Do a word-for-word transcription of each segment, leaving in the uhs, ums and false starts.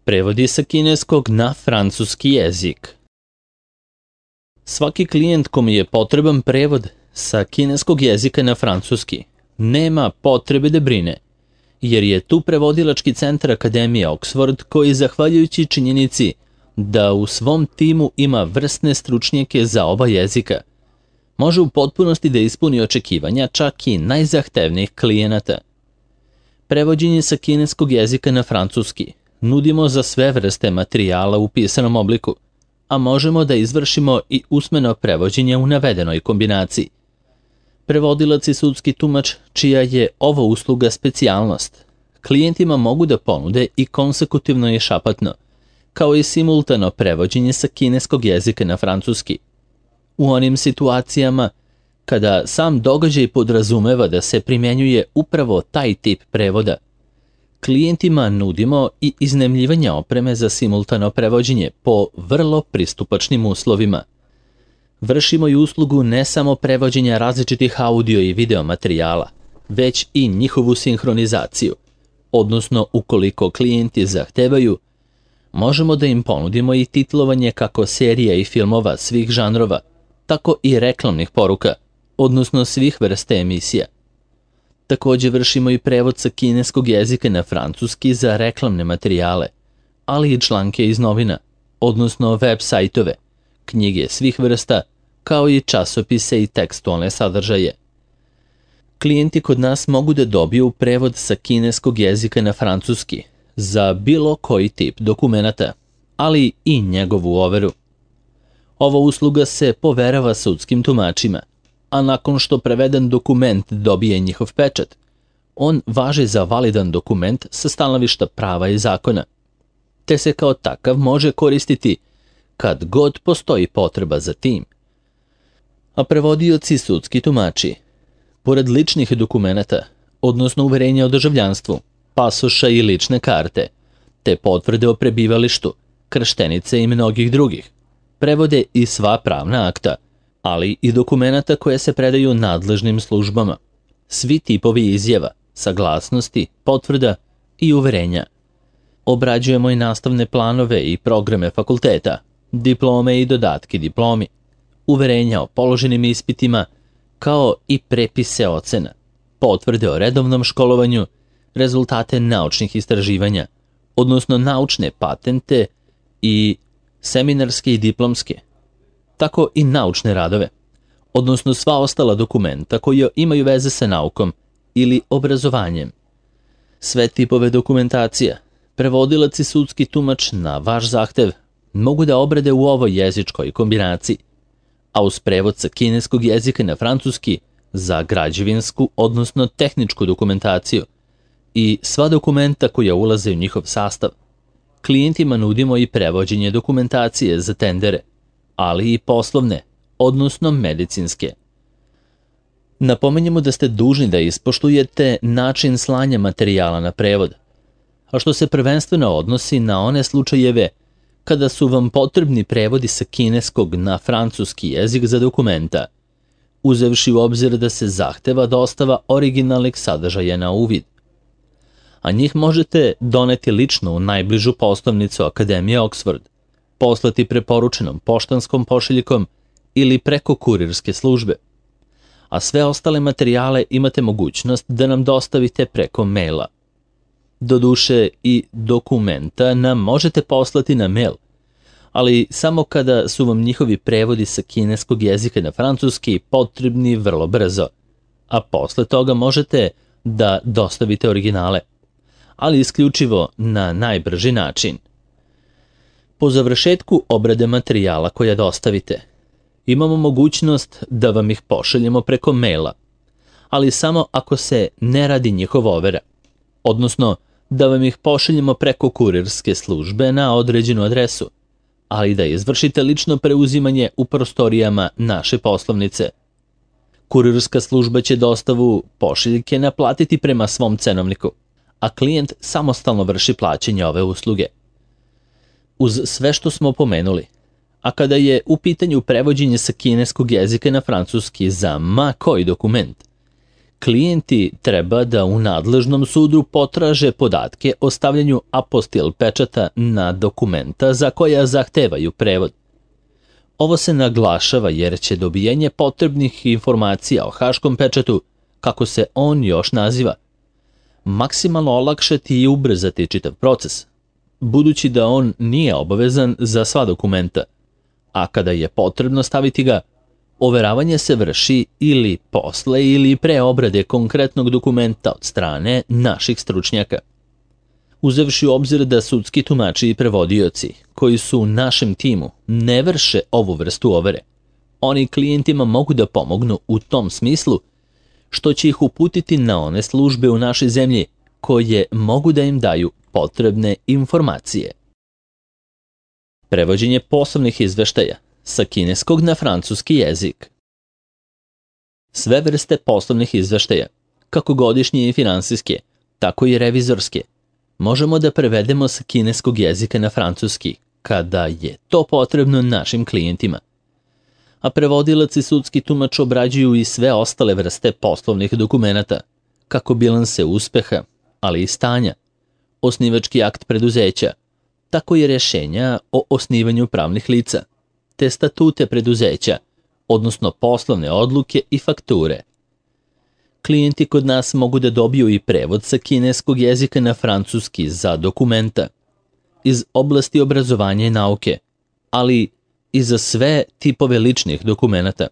Prevodi sa kineskog na francuski jezik. Svaki klijent kome je potreban prevod sa kineskog jezika na francuski nema potrebe da brine, jer je tu prevodilački centar Akademije Oxford koji, zahvaljujući činjenici da u svom timu ima vrsne stručnjake za oba jezika, može u potpunosti da ispuni očekivanja čak i najzahtevnijih klijenata. Prevođenje sa kineskog jezika na francuski nudimo za sve vrste materijala u pisanom obliku, a možemo da izvršimo i usmeno prevođenje u navedenoj kombinaciji. Prevodilac i sudski tumač, čija je ovo usluga specijalnost, klijentima mogu da ponude i konsekutivno i šapatno, kao i simultano prevođenje sa kineskog jezika na francuski. U onim situacijama kada sam događaj podrazumeva da se primjenjuje upravo taj tip prevoda, klijentima nudimo i iznajmljivanje opreme za simultano prevođenje po vrlo pristupačnim uslovima. Vršimo i uslugu ne samo prevođenja različitih audio i video materijala, već i njihovu sinhronizaciju, odnosno ukoliko klijenti zahtevaju, možemo da im ponudimo i titlovanje kako serija i filmova svih žanrova, tako i reklamnih poruka, odnosno svih vrste emisija. Također vršimo i prevod sa kineskog jezika na francuski za reklamne materijale, ali i članke iz novina, odnosno web sajtove, knjige svih vrsta, kao i časopise i tekstualne sadržaje. Klijenti kod nas mogu da dobiju prevod sa kineskog jezika na francuski za bilo koji tip dokumenata, ali i njegovu overu. Ova usluga se poverava sudskim tumačima, a nakon što preveden dokument dobije njihov pečat, on važi za validan dokument sa stanovišta prava i zakona, te se kao takav može koristiti kad god postoji potreba za tim. A prevodioci sudski tumači, pored ličnih dokumenata, odnosno uverenja o državljanstvu, pasoša i lične karte, te potvrde o prebivalištu, krštenice i mnogih drugih, prevode i sva pravna akta, ali i dokumenata koje se predaju nadležnim službama, svi tipovi izjava, saglasnosti, potvrda i uverenja. Obrađujemo i nastavne planove i programe fakulteta, diplome i dodatke diplomi, uverenja o položenim ispitima, kao i prepise ocena, potvrde o redovnom školovanju, rezultate naučnih istraživanja, odnosno naučne patente i seminarske i diplomske, tako i naučne radove, odnosno sva ostala dokumenta koji imaju veze sa naukom ili obrazovanjem. Sve tipove dokumentacija, prevodilac i sudski tumač na vaš zahtev mogu da obrade u ovoj jezičkoj kombinaciji, a uz prevod sa kineskog jezika na francuski za građevinsku, odnosno tehničku dokumentaciju i sva dokumenta koja ulaze u njihov sastav, klijentima nudimo i prevođenje dokumentacije za tendere, ali i poslovne, odnosno medicinske. Napominjemo da ste dužni da ispoštujete način slanja materijala na prevod, a što se prvenstveno odnosi na one slučajeve kada su vam potrebni prevodi sa kineskog na francuski jezik za dokumenta, uzevši u obzir da se zahteva dostava originalnih sadržaja na uvid. A njih možete doneti lično u najbližu poslovnicu Akademije Oxford, poslati preporučenom poštanskom pošiljkom ili preko kurirske službe. A sve ostale materijale imate mogućnost da nam dostavite preko maila. Doduše i dokumenta nam možete poslati na mail, ali samo kada su vam njihovi prevodi sa kineskog jezika na francuski potrebni vrlo brzo, a posle toga možete da dostavite originale, ali isključivo na najbrži način. Po završetku obrade materijala koja dostavite, imamo mogućnost da vam ih pošaljemo preko maila, ali samo ako se ne radi njihova overa, odnosno da vam ih pošaljemo preko kurirske službe na određenu adresu, ali da izvršite lično preuzimanje u prostorijama naše poslovnice. Kurirska služba će dostavu pošiljke naplatiti prema svom cenovniku, a klijent samostalno vrši plaćanje ove usluge. Uz sve što smo pomenuli, a kada je u pitanju prevođenje sa kineskog jezika na francuski za ma koji dokument, klijenti treba da u nadležnom sudu potraže podatke o stavljanju apostil pečata na dokumenta za koja zahtevaju prevod. Ovo se naglašava jer će dobijenje potrebnih informacija o haškom pečatu, kako se on još naziva, maksimalno olakšati i ubrzati čitav proces, budući da on nije obavezan za sva dokumenta, a kada je potrebno staviti ga, overavanje se vrši ili posle ili pre obrade konkretnog dokumenta od strane naših stručnjaka. Uzevši u obzir da sudski tumači i prevodioci, koji su u našem timu, ne vrše ovu vrstu overe, oni klijentima mogu da pomognu u tom smislu što će ih uputiti na one službe u našoj zemlji koje mogu da im daju potrebne informacije. Prevođenje poslovnih izveštaja sa kineskog na francuski jezik. Sve vrste poslovnih izveštaja, kako godišnje i finansijske, tako i revizorske, možemo da prevedemo sa kineskog jezika na francuski, kada je to potrebno našim klijentima. A prevodilac i sudski tumač obrađuju i sve ostale vrste poslovnih dokumenata, kako bilanse uspeha, ali i stanja, osnivački akt preduzeća, tako i rješenja o osnivanju pravnih lica, te statute preduzeća, odnosno poslovne odluke i fakture. Klijenti kod nas mogu da dobiju i prevod sa kineskog jezika na francuski za dokumenta iz oblasti obrazovanja i nauke, ali i za sve tipove ličnih dokumenata,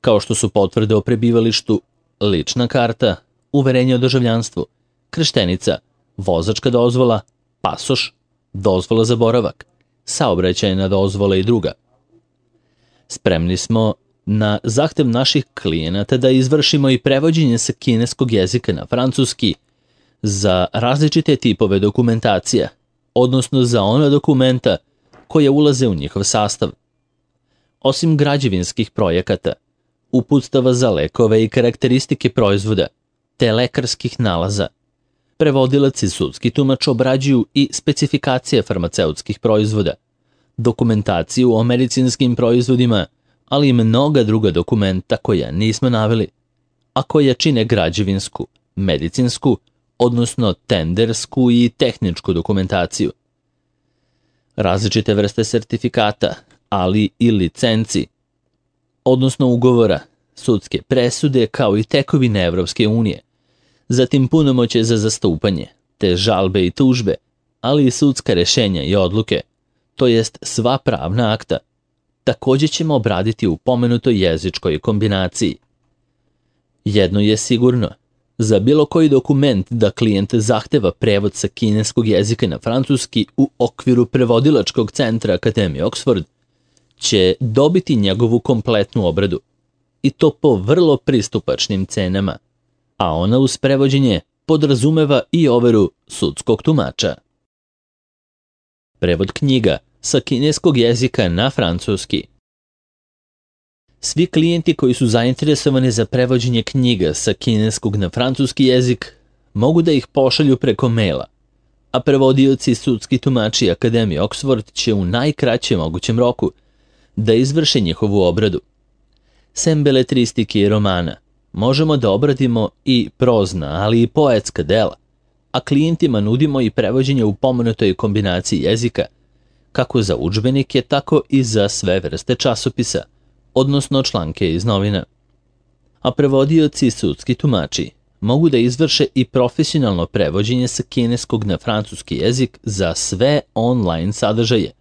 kao što su potvrde o prebivalištu, lična karta, uverenje o državljanstvu, krštenica, vozačka dozvola, pasoš, dozvola za boravak, saobraćajna dozvola i druga. Spremni smo na zahtev naših klijenata da izvršimo i prevođenje sa kineskog jezika na francuski za različite tipove dokumentacija, odnosno za ona dokumenta koje ulaze u njihov sastav. Osim građevinskih projekata, uputstava za lekove i karakteristike proizvoda, te lekarskih nalaza, prevodilac i sudski tumač obrađuju i specifikacije farmaceutskih proizvoda, dokumentaciju o medicinskim proizvodima, ali i mnoga druga dokumenta koja nismo naveli, a koja čine građevinsku, medicinsku, odnosno tendersku i tehničku dokumentaciju. Različite vrste sertifikata, ali i licenci, odnosno ugovora, sudske presude kao i tekovine Evropske unije, zatim punomoćje za zastupanje, te žalbe i tužbe, ali i sudska rešenja i odluke, to jest sva pravna akta, također ćemo obraditi u pomenutoj jezičkoj kombinaciji. Jedno je sigurno, za bilo koji dokument da klijent zahteva prevod sa kineskog jezika na francuski u okviru prevodilačkog centra Akademije Oxford, će dobiti njegovu kompletnu obradu, i to po vrlo pristupačnim cenama, a ona uz prevođenje podrazumeva i overu sudskog tumača. Prevod knjiga sa kineskog jezika na francuski. Svi klijenti koji su zainteresovani za prevođenje knjiga sa kineskog na francuski jezik mogu da ih pošalju preko maila, a prevodioci i sudski tumači Akademije Oxford će u najkraćem mogućem roku da izvrše njihovu obradu. Sem beletristike i romana, možemo da obradimo i prozna, ali i poetska dela, a klijentima nudimo i prevođenje u pomenutoj kombinaciji jezika, kako za udžbenike, tako i za sve vrste časopisa, odnosno članke iz novina. A prevodioci i sudski tumači mogu da izvrše i profesionalno prevođenje sa kineskog na francuski jezik za sve online sadržaje,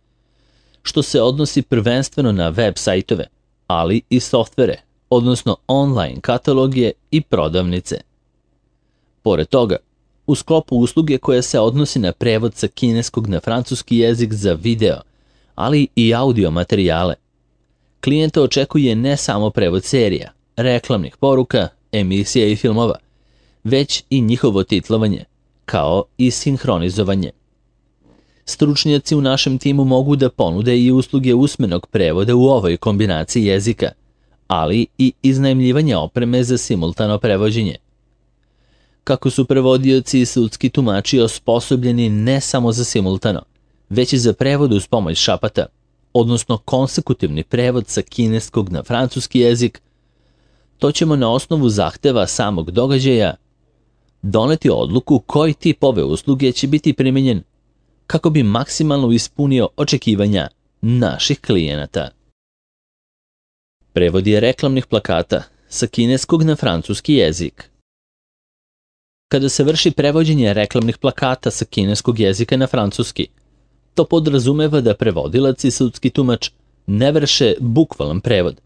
što se odnosi prvenstveno na web sajtove, ali i softvere, odnosno online kataloge i prodavnice. Pored toga, u sklopu usluge koja se odnosi na prevod sa kineskog na francuski jezik za video, ali i audio materijale, klijenta očekuje ne samo prevod serija, reklamnih poruka, emisija i filmova, već i njihovo titlovanje, kao i sinhronizovanje. Stručnjaci u našem timu mogu da ponude i usluge usmenog prevoda u ovoj kombinaciji jezika, ali i iznajmljivanje opreme za simultano prevođenje. Kako su prevodioci i sudski tumači osposobljeni ne samo za simultano, već i za prevod uz pomoć šapata, odnosno konsekutivni prevod sa kineskog na francuski jezik, to ćemo na osnovu zahteva samog događaja doneti odluku koji tip ove usluge će biti primenjen kako bi maksimalno ispunio očekivanja naših klijenata. Prevod je reklamnih plakata sa kineskog na francuski jezik. Kada se vrši prevođenje reklamnih plakata sa kineskog jezika na francuski, to podrazumeva da prevodilac i sudski tumač ne vrše bukvalan prevod,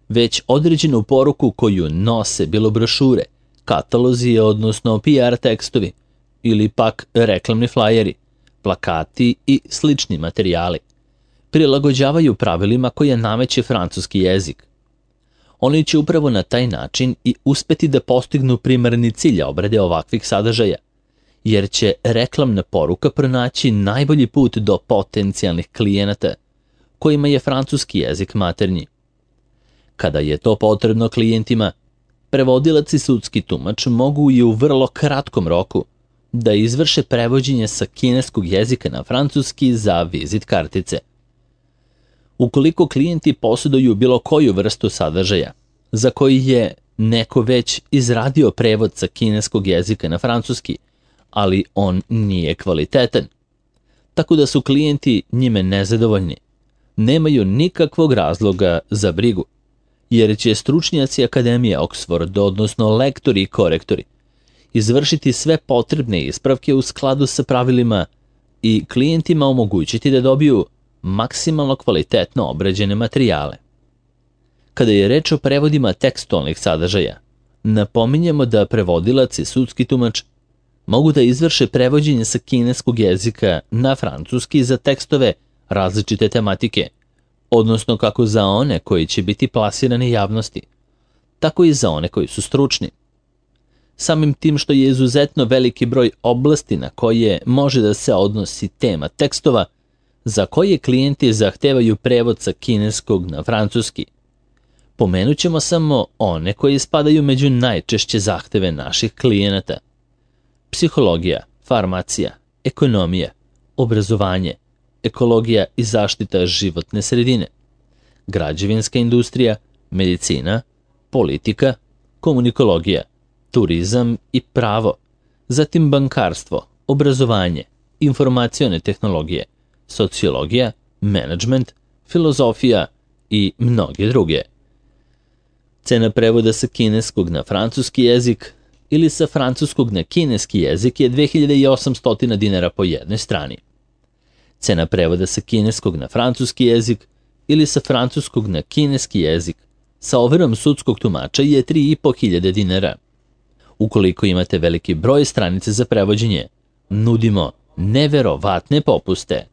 već određenu poruku koju nose bilo brošure, katalozi, odnosno P R tekstovi, ili pak reklamni flajeri, plakati i slični materijali, prilagođavaju pravilima koje nameće francuski jezik. Oni će upravo na taj način i uspeti da postignu primarni cilj obrade ovakvih sadržaja, jer će reklamna poruka pronaći najbolji put do potencijalnih klijenata, kojima je francuski jezik maternji. Kada je to potrebno klijentima, prevodilac i sudski tumač mogu i u vrlo kratkom roku da izvrše prevođenje sa kineskog jezika na francuski za vizit kartice. Ukoliko klijenti posjeduju bilo koju vrstu sadržaja, za koji je neko već izradio prevod sa kineskog jezika na francuski, ali on nije kvalitetan, tako da su klijenti njime nezadovoljni, nemaju nikakvog razloga za brigu, jer će stručnjaci Akademije Oxford, odnosno lektori i korektori, izvršiti sve potrebne ispravke u skladu sa pravilima i klijentima omogućiti da dobiju maksimalno kvalitetno obrađene materijale. Kada je reč o prevodima tekstualnih sadržaja, napominjemo da prevodilac i sudski tumač mogu da izvrše prevođenje sa kineskog jezika na francuski za tekstove različite tematike, odnosno kako za one koji će biti plasirani javnosti, tako i za one koji su stručni. Samim tim što je izuzetno veliki broj oblasti na koje može da se odnosi tema tekstova, za koje klijenti zahtevaju prevod sa kineskog na francuski. Pomenut ćemo samo one koji spadaju među najčešće zahteve naših klijenata: psihologija, farmacija, ekonomija, obrazovanje, ekologija i zaštita životne sredine, građevinska industrija, medicina, politika, komunikologija, turizam i pravo, zatim bankarstvo, obrazovanje, informacione tehnologije, sociologija, menadžment, filozofija i mnoge druge. Cena prevoda sa kineskog na francuski jezik ili sa francuskog na kineski jezik je dve hiljade osamsto dinara po jednoj strani. Cena prevoda sa kineskog na francuski jezik ili sa francuskog na kineski jezik sa overom sudskog tumača je tri i po hiljade dinara. Ukoliko imate veliki broj stranice za prevođenje, nudimo neverovatne popuste.